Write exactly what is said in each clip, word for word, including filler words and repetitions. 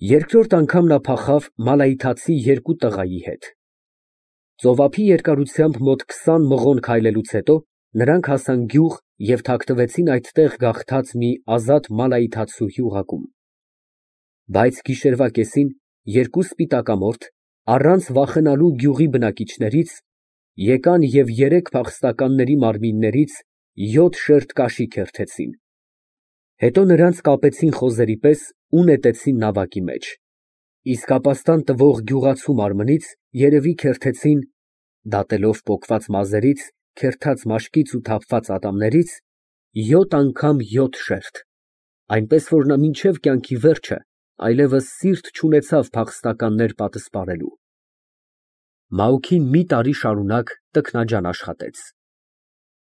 Երկրորդ անգամ նա փախավ մալայիթացի երկու տղայի հետ։ Ծովափի երկարությամբ մոտ քսան մղոն քայլելուց հետո նրանք հասան գյուղ և թաքնվեցին այդտեղ գաղթած մի ազատ մալայիթացու գյուղակում։ Բայց գիշերվա կեսին երկու սպիտակամորթ, առանց վախենալու գյուղի բնակիչներից, եկան և երեք փախստականների մարմիններից յոթ շերտ կաշի քերթեցին։ Հետո նրանց կապեցին խոզերի պես ու նետեցին նավակի մեջ, իսկ ապաստան տվող գյուղացու մարմնից երևի քերթեցին (դատելով պոկված մազերից, քերթած մաշկից ու թափված ատամներից) յոթ անգամ յոթ շերտ, այնպես որ նա մինչև կյանքի վերջը այլևս սիրտ չունեցավ փախստականներ պատսպարելու։ Մաուքին մի տարի շարունակ տքնաջան աշխատեց։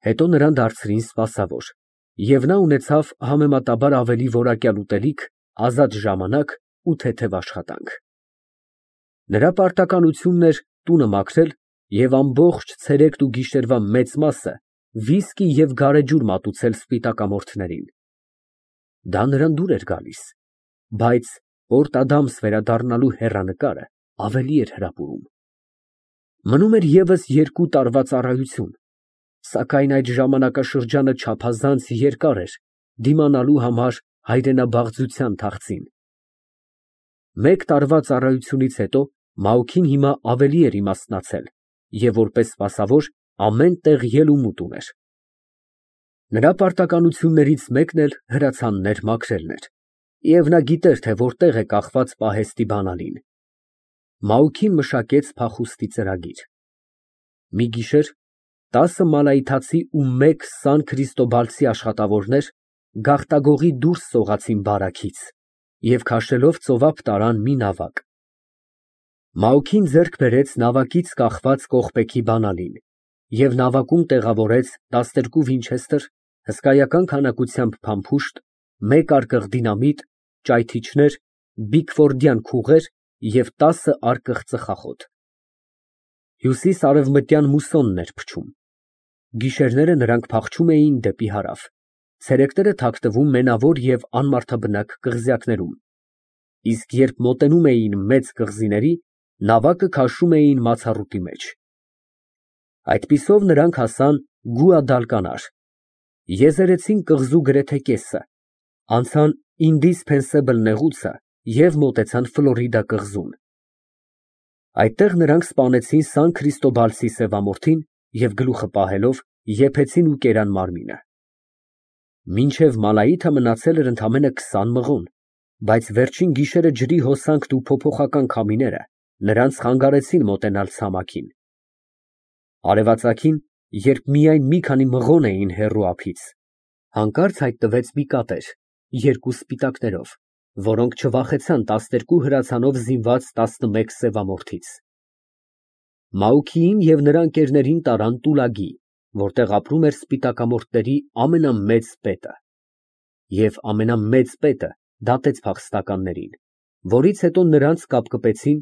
Հետո նրան դարձրին սպասավոր, և նա ունեցավ համեմատաբար ավելի որակյալ ուտելիք, ազատ ժամանակ ու թեթև աշխատանք։ Նրա պարտականությունն էր տունը մաքրել և ամբողջ ցերեկն ու գիշերվա մեծ մասը վիսկի և գարեջուր մատուցել սպիտակամորթներին։ Դա նրան դուր էր գալիս, բայց Պորտ Ադամս վերադառնալու հեռանկարը ավելի էր հրապուրում։ Մնում էր ևս երկու տարվա ծառայություն, սակայն այդ ժամանակաշրջանը չափազանց երկար էր դիմանալու համար հայրենաբաղձության թախծին։ Մեկ տարվա ծառայությունից հետո Մաուքին հիմա ավելի էր իմաստնացել և որպես սպասավոր ամեն տեղ ելումուտ ուներ։ Նրա պարտականություններից մեկն էլ հրացաններ մաքրելն էր, և նա գիտեր, թե որտեղ է կախված պահեստի բանալին։ Մաուքին մշակեց փախուստի ծրագիր։ Մի գիշեր տասը մալայիթացի ու մեկ սան քրիստոբալցի աշխատավորներ գաղտագողի դուրս սողացին բարաքից և քաշելով ծովափ տարան մի նավակ։ Մաուքին ձեռք բերեց նավակից կախված կողպեքի բանալին և նավակում տեղավորեց տասներկու վինչեստր, հսկայական քանակությամբ փամփուշտ, մեկ արկղ դինամիտ, ճայթիչներ, բիքֆորդյան քուղեր և տասը արկղ ծխախոտ։ Հյուսիս֊արևմտյան մուսոնն էր փչում։ Գիշերները նրանք փախչում էին դեպի հարավ, ցերեկները թաքնվում մենավոր և անմարդաբնակ կղզյակներում, իսկ երբ մոտենում էին մեծ կղզիների, նավակը քաշում էին մացառուտի մեջ։ Այդպիսով նրանք հասան Գուադալկանար, եզերեցին կղզու գրեթե կեսը, անցան Ինդիսփենսեբլ նեղուցը և մոտեցան Ֆլորիդա կղզուն։ Այդտեղ նրանք սպանեցին Սան Քրիստոբալցի սևամորթին և գլուխը պահելով եփեցին ու կերան մարմինը։ Մինչև Մալայիթը մնացել էր ընդամենը քսան մղոն, բայց վերջին գիշերը ջրի հոսանքն ու փոփոխական քամիները նրանց խանգարեցին մոտենալ ցամաքին։ Արևածագին, երբ միայն մի քանի մղոն էին հեռու ափից, հանկարծ հայտնվեց մի կատեր երկու սպիտակներով, որոնք չվախեցան տասներկու հրացանով զինված տասնմեկ սևամորթից։ Մաուքիին և նրա ընկերներին տարան Տուլագի, որտեղ ապրում էր սպիտակամորթների ամենամեծ պետը։ Եվ ամենամեծ պետը դատեց փախստականներին, որից հետո նրանց կապկպեցին,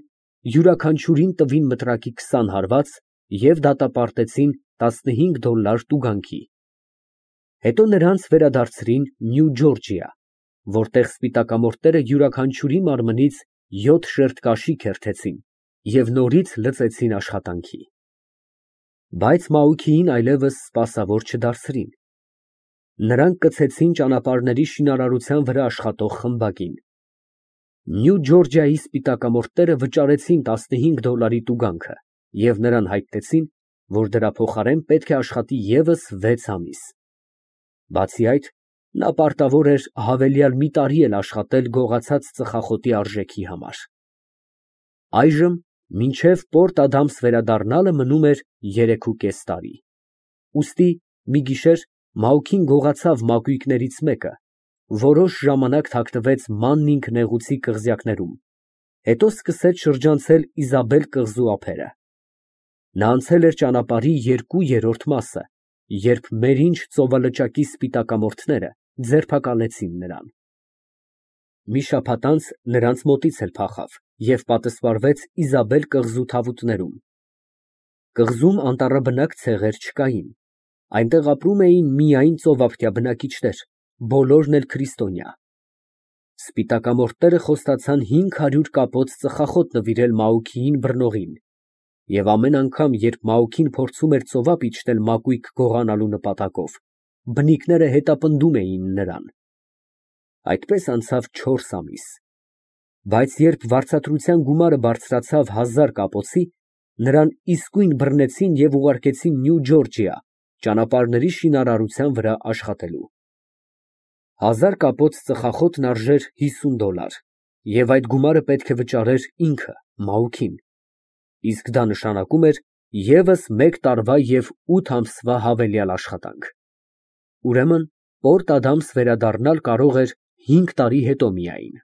յուրաքանչյուրին տվին մտրակի քսան հարված և դատապարտեցին տասնհինգ դոլար տուգանքի։ Հետո նրանց վերադարձրին Նյու Ջորջիա, որտեղ սպիտակամորթները յուրաքանչյուրի մարմնից յոթ շերտ կաշի քերթեցին և նորից լծեցին աշխատանքի։ Բայց Մաուքիին այլևս սպասավոր չդարձրին։ Նրանք կցեցին ճանապարհների շինարարության վրա աշխատող խմբակին։ Նյու Ջորջիայի սպիտակամորթները վճարեցին տասնհինգ դոլարի տուգանքը և նրան հայտնեցին, որ դրա փոխարեն պետք է աշխատի ևս վեց ամիս։ Բացի այդ, նա պարտավոր էր հավելյալ մի տարի էլ աշխատել գողացած ծխախոտի արժեքի համար։ Այժմ մինչև Պորտ Ադամս վերադառնալը մնում էր երեքուկես տարի։ Ուստի մի գիշեր Մաուքին գողացավ մակույկներից մեկը, որոշ ժամանակ թաքնվեց Մաննինգ նեղուցի կղզյակներում, հետո սկսեց շրջանցել Իզաբել կղզու ափերը։ Նա անցել էր ճանապարհի երկու երրորդ մասը, երբ Մերինջ ծովալճակի սպիտակամորթները ձերբակալեցին նրան։ Մի շաբաթ անց նրանց մոտից էլ փախավ և պատսպարվեց Իզաբել կղզու թավուտներում։ Կղզում անտառաբնակ ցեղեր չկային, այնտեղ ապրում էին միայն ծովափնյա բնակիչներ, բոլորն էլ քրիստոնյա։ Սպիտակամորտները խոստացան հինգ հարյուր կապոց ծխախոտ նվիրել Մաուքիին բռնողին, և ամեն անգամ, երբ Մաուքին փորձում էր ծովափ իջնել մակույկը գողանալու նպատակով, բնիկները հետապնդում էին նրան։ Այդպես անցավ չորս ամիս, բայց երբ վարձատրության գումարը բարձրացավ հազար կապոցի, նրան իսկույն բռնեցին և ուղարկեցին Նյու Ջորջիա ճանապարհների շինարարության վրա աշխատելու։ Հազար կապոց ծխախոտն արժեր հիսուն դոլար, և այդ գումարը պետք է վճարեր ինքը Մաուքին, իսկ դա նշանակում էր ևս մեկ տարվա և ութ ամսվա հավելյալ աշխատանք։ Ուրեմն Պորտ Ադամս վերադառնալ կարող էր հինգ տարի հետո միայն։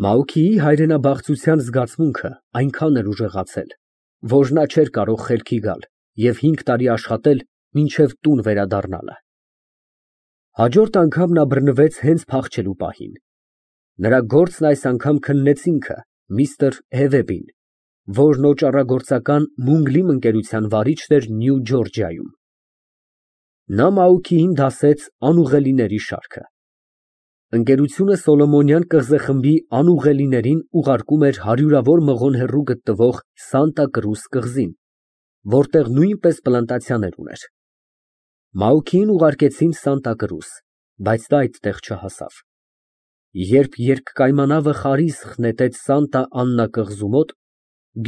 Մաուքիի հայրենաբաղձության զգացմունքը այնքան էր ուժեղացել, որ նա չէր կարող խելքի գալ և հինգ տարի աշխատել մինչև տուն վերադառնալը։ Հաջորդ անգամ նա բռնվեց հենց փախչելու պահին։ Նրա գործն այս անգամ քննեց ինքը, միստր Հևեբին, որն օճառագործական Մունգլիմ ընկերության վարիչն էր Նյու Ջորջիայում։ Նա Մաուքիին դասեց անուղելիների շարքը։ Ընկերությունը Սոլոմոնյան կղզեխմբի անուղելիներին ուղարկում էր հարյուրավոր մղոն հեռու գտնվող Սանտա Կրուս կղզին, որտեղ նույնպես պլանտացիաներ ուներ։ Մաուքիին ուղարկեցին Սանտա Կրուս, բայց նա այդտեղ չհասավ։ Երբ երկկայմանավը խարիսխ նետեց Սանտա Աննա կղզու մոտ,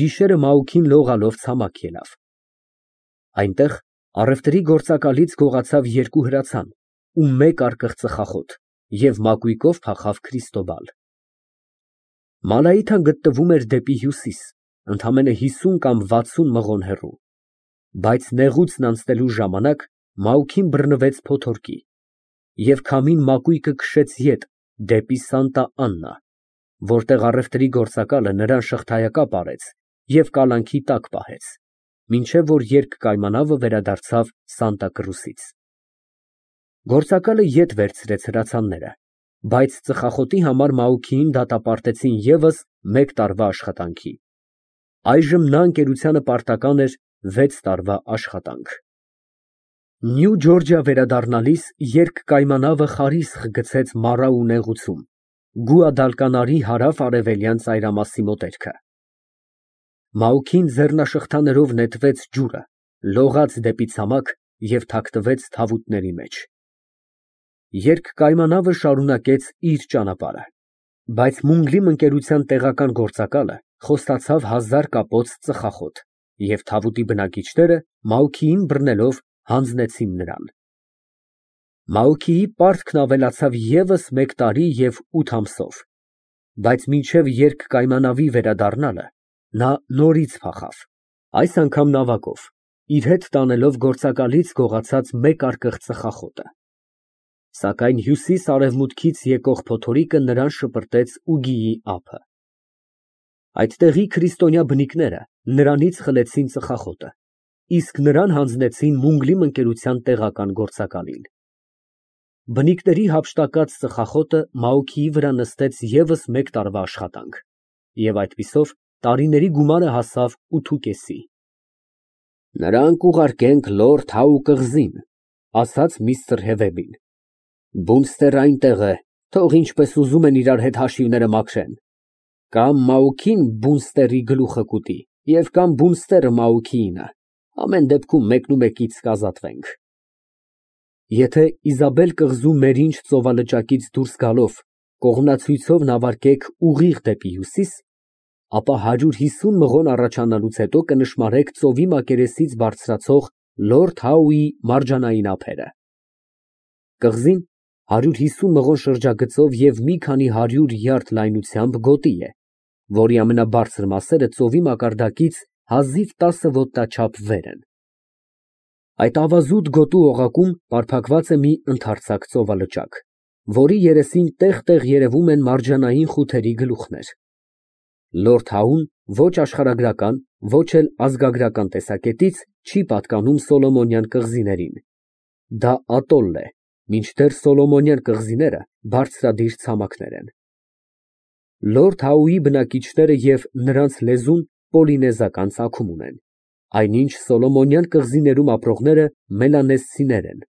գիշերը Մաուքին լողալով ցամաք ելավ։ Այնտեղ առևտրի գործակալից գողացավ երկու հրացան ու մեկ արկղ ծխախոտ և մակույկով փախավ Քրիստոբալ։ Մալայիթան գտնվում էր դեպի հյուսիս, ընդամենը հիսուն կամ վաթսուն մղոն հեռու, բայց նեղուցն անցնելու ժամանակ Մաուքին բռնվեց փոթորկի, և քամին մակույկը քշեց ետ դեպի Սանտա Աննա, որտեղ առևտրի գործակալը նրան շղթայակապ արեց և կալանքի տակ պահեց, մինչև որ երկկայմանավը վերադարձավ Սանտա Կրուսից։ Գործակալը ետ վերցրեց հրացանները, բայց ծխախոտի համար Մաուքիին դատապարտեցին ևս մեկ տարվա աշխատանքի։ Այժմ նա ընկերությանը պարտական էր վեց տարվա աշխատանք։ Նյու Ջորջիա վերադառնալիս երկկայմանավը խարիսխ գցեց Մարաու նեղուցում, Գուադալկանարի հարավ֊արևելյան ծայրամասի մոտերքը։ Մաուքին ձեռնաշղթաներով նետվեց ջուրը, լողաց դեպի ցամաք և թաքնվեց թավուտների մեջ։ Երկկայմանավը շարունակեց իր ճանապարհը, բայց Մունգլիմ ընկերության տեղական գործակալը խոստացավ հազար կապոց ծխախոտ, և թավուտի բնակիչները Մաուքիին բռնելով հանձնեցին նրան։ Մաուքիի պարտքն ավելացավ ևս մեկ տարի և ութ ամսով, բայց մինչև երկկայմանավի վերադառնալը նա նորից փախավ, այս անգամ նավակով, իր հետ տանելով գործակալից գողացած մեկ արկղ ծխախոտը։ Սակայն հյուսիս֊արևմուտքից եկող փոթորիկը նրան շպրտեց ուգիի ափը։ Այդտեղի քրիստոնյա բնիկները նրանից խլեցին ծխախոտը, իսկ նրան հանձնեցին Մունգլիմ ընկերության տեղական գործակալին։ Բնիկների հափշտակած ծխախոտը Մաուքիի վրա նստեց ևս մեկ տարվա աշխատանք, և այդպիսով տարիների գումարը հասավ ութուկեսի։ Նրան կուղարկենք լորդ Հաու կղզին, ասաց միստր Հևեբին։ Բունստերը այնտեղ է, թող ինչպես ուզում են իրար հետ հաշիվները մաքրեն։ Կամ Մաուքին բունստերի գլուխը կուտի, և կամ բունստերը Մաուքիինը, ամեն դեպքում մեկնումեկից կազատվենք։ Եթե Իզաբել կղզու մերինջ ծովալճակից դուրս գալով կողմնացույցով նավարկեք ուղիղ դեպի հյուսիս, ապա հարյուր հիսուն մղոն առաջանալուց հետո կնշմարեք ծովի մակերեսից բարձրացող լորդ Հաուի մարջանային ափերը։ Կղզին հարյուր հիսուն մղոն շրջագծով և մի քանի հարյուր յարդ լայնությամբ գոտի է, որի ամենաբարձր մասերը ծովի մակարդակից հազիվ տասը ոտնաչափ վեր են։ Այդ ավազուտ գոտու օղակում պարփակված է մի ընդարձակ ծովալճակ, որի երեսին տեղ֊տեղ երևում են մարջանային խութերի գլուխներ։ Լորդ Հաուն ոչ աշխարհագրական, ոչ էլ ազգագրական տեսակետից չի պատկանում Սոլոմոնյան կղզիներին։ Դա ատոլ է, մինչդեռ Սոլոմոնյան կղզիները բարձրադիր ցամաքներ են։ Լորդ Հաուի բնակիչները և նրանց լեզուն պոլինեզական ծագում ունեն, այնինչ Սոլոմոնյան կղզիներում ապրողները մելանեզցիներ են։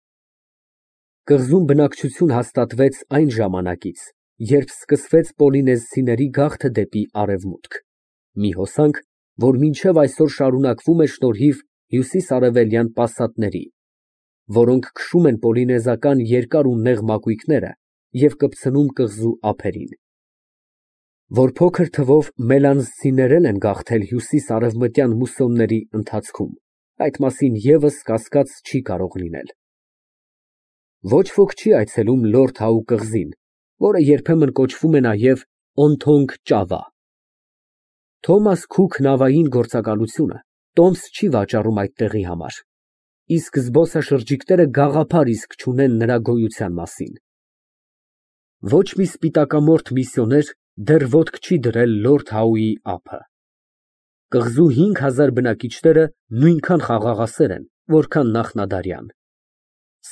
Կղզում բնակչություն հաստատվեց այն ժամանակից, երբ սկսվեց պոլինեզցիների գաղթը դեպի արևմուտք, մի հոսանք, որ մինչև այսօր շարունակվում է շնորհիվ հյուսիսարևելյան պասատների, որոնք քշում են պոլինեզական երկար ու նեղ մակույկները և կպցնում կղզու ափերին։ Որ փոքր թվով մելանզցիներն են գաղթել հյուսիս֊արևմտյան մուսոնների ընթացքում, այդ մասին ևս կասկած չի կարող լինել։ Ոչ ոք չի այցելում Լորդ Հաու կղզին, որը երբեմն կոչվում է նաև Օնթոնգ ճավա։ Թոմաս Քուք նավային գործակալությունը տոմս չի վաճառում այդ տեղի համար, իսկ զբոսաշրջիկները գաղափար իսկ չունեն նրա գոյության մասին։ Ոչ մի սպիտակամորթ միսիոներ դեռ ոտք չի դրել Լորդ Հաուի ափը։ Կղզու հինգ հազար բնակիչները նույնքան խաղաղասեր են, որքան նախնադարյան,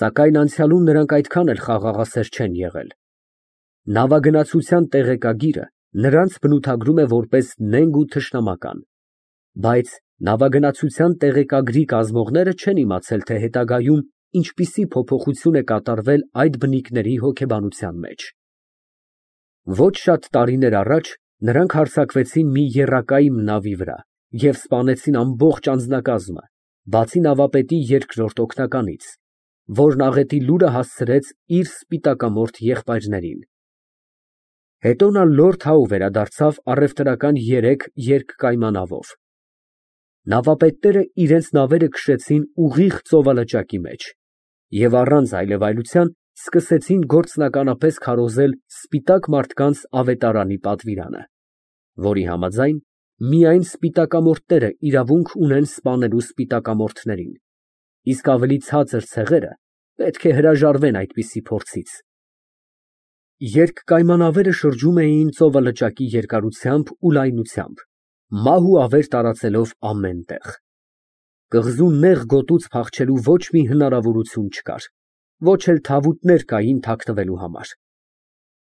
սակայն անցյալում նրանք այդքան էլ խաղաղասեր չեն եղել։ Նավագնացության տեղեկագիրը նրանց բնութագրում է որպես նենգ ու թշնամական, բայց նավագնացության տեղեկագրի կազմողները չեն իմացել, թե հետագայում ինչպիսի փոփոխություն է կատարվել այդ բնիկների հոգեբանության մեջ։ Ոչ շատ տարիներ առաջ նրանք հարձակվեցին մի եռակայմ նավի վրա և սպանեցին ամբողջ անձնակազմը, բացի նավապետի երկրորդ օգնականից, որն աղետի լուրը հասցրեց իր սպիտակամորթ եղբայրներին։ Հետո նա Լորդ Հաու վերադարձավ առևտրական երեք երկկայմանավով։ Նավապետները իրենց նավերը քշեցին ուղիղ ծովալճակի մեջ և առանց այլևայլության սկսեցին գործնականապես քարոզել սպիտակ մարդկանց ավետարանի պատվիրանը, որի համաձայն միայն սպիտակամորթները իրավունք ունեն սպանելու սպիտակամորթներին, իսկ ավելի ցածր ցեղերը պետք է հրաժարվեն այդպիսի փորձից։ Երկկայմանավերը շրջում էին ծովալճակի երկարությամբ ու լայնությամբ, մահ ու ավեր տարածելով ամեն տեղ։ Կղզու նեղ գոտուց փախչելու ոչ մի հնարավորություն չկար, ոչ էլ թավուտներ կային թաքնվելու համար։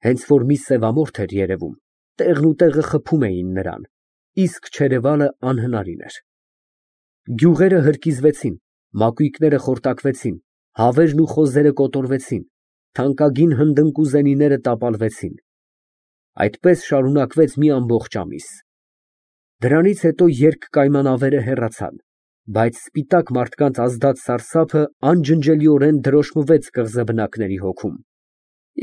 Հենց որ մի սևամորթ էր երևում, տեղն ու տեղը խփում էին նրան, իսկ չերևալը անհնարին էր։ Գյուղերը հրկիզվեցին, մակույկները խորտակվեցին, հավերն ու խոզերը կոտորվեցին, թանկագին հնդընկուզենիները տապալվեցին։ Այդպես շարունակվեց մի ամբողջ ամիս։ Դրանից հետո երկկայմանավերը հեռացան, բայց սպիտակ մարդկանց ազդած սարսափը անջնջելիորեն դրոշմվեց կղզաբնակների հոգում,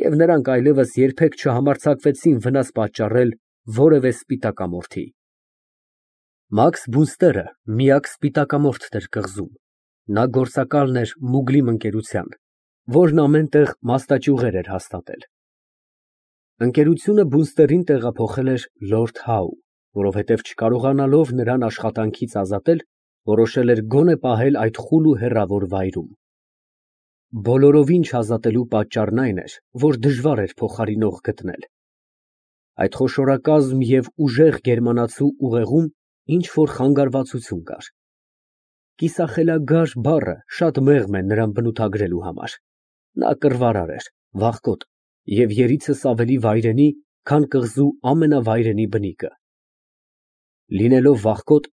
և նրանք այլևս երբեք չհամարձակվեցին վնաս պատճառել որևէ սպիտակամորթի։ Մաքս Բունստերը միակ սպիտակամորթն էր կղզում, նա գործակալն էր Մուգլիմ ընկերության, որն ամեն տեղ մասնաճյուղեր էր հաստատել։ Ընկերությունը Բունստերին տեղափոխել էր Լորդ Հաու, որովհետև չկարողանալով նրան աշխատանքից ազատել, որոշել էր գոնե պահել այդ խուլ ու հեռավոր վայրում։ Բոլորովին չազատելու պատճառն այն էր, որ դժվար էր փոխարինող գտնել։ Այդ խոշորակազմ և ուժեղ գերմանացու ուղեղում ինչ֊որ խանգարվածություն կար։ Կիսախելագար բառը շատ մեղմ է նրան բնութագրելու համար։ Նա կռվարար էր, վախկոտ և երիցս ավելի վայրենի, քան կղզու ամենավայրենի բնիկը։ Լինելով վախկոտ,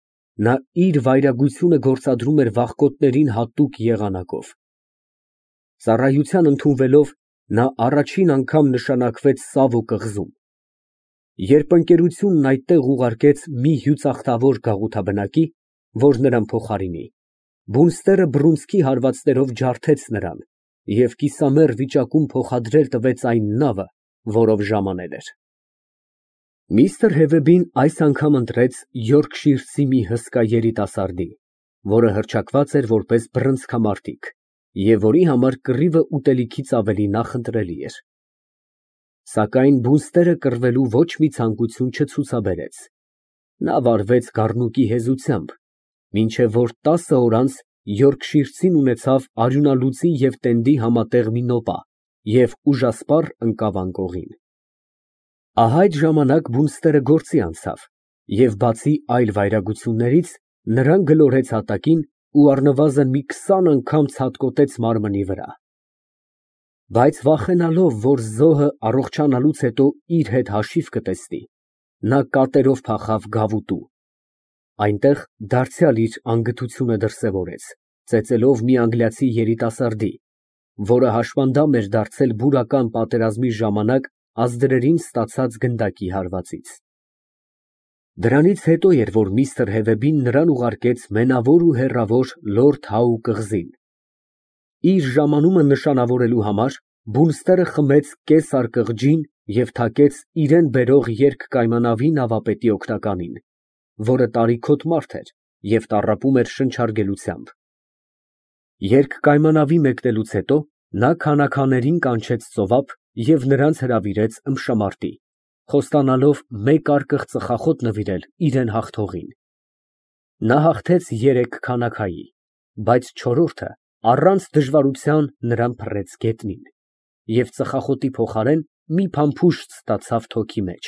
նա իր վայրագությունը գործադրում էր վախկոտներին հատուկ եղանակով։ Ծառայության ընդունվելով, նա առաջին անգամ նշանակվեց Սավո կղզում։ Երբ ընկերությունն այդտեղ ուղարկեց մի հյուծախտավոր գաղութաբնակի, որ նրան փոխարինի, Բունստերը բռունցքի հարվածներով ջարդեց նրան և կիսամեռ վիճակում փոխադրել տվեց այն նավը, որով ժամանել էր։ Միստր Հևեբին այս անգամ ընտրեց յորքշիրցի մի հսկա երիտասարդի, որը հռչակված էր որպես բռնցքամարտիկ և որի համար կռիվը ուտելիքից ավելի նախընտրելի էր։ Սակայն Բունստերը կռվելու ոչ մի ցանկություն չցուցաբերեց։ Նա վարվեց գառնուկի հեզությամբ, մինչև որ տասը օր անց յորքշիրցին ունեցավ արյունալուծի և տենդի համատեղ մի նոպա և ուժասպառ ընկավ անկողին։ Ահա այդ ժամանակ Բունստերը գործի անցավ և բացի այլ վայրագություններից, նրան գլորեց հատակին ու առնվազն մի քսան անգամ ցատկոտեց մարմնի վրա։ Բայց վախենալով, որ զոհը առողջանալուց հետո իր հետ հաշիվ կտեսնի, նա կատերով փախավ գավուտու։ Այնտեղ դարձյալ իր անգթությունը դրսևորեց, ծեծելով մի անգլիացի երիտասարդի, որը հաշմանդամ էր դարձել բուրական պատերազմի ժամանակ ազդրերին ստացած գնդակի հարվածից։ Դրանից հետո էր, որ միստր Հևեբին նրան ուղարկեց մենավոր ու հեռավոր լորդ Հաու կղզին։ Իր ժամանումը նշանավորելու համար բունստերը խմեց կես արկղ ջին և թակեց իրան բերող երկկայմանավի նավապետի օգնականին, որը տարիքոտ մարդ էր և տառապում էր շնչարգելությամբ։ Երկկայմանավի մեկնելուց հետո նա քանաքաներին կանչեց ծովափ և նրանց հրավիրեց ըմբշամարտի, խոստանալով մեկ արկղ ծխախոտ նվիրել իրան հաղթողին։ Նա հաղթեց երեք քանաքայի, բայց չորրորդը առանց դժվարության նրան փռեց գետնին և ծխախոտի փոխարեն մի փամփուշտ ստացավ թոքի մեջ։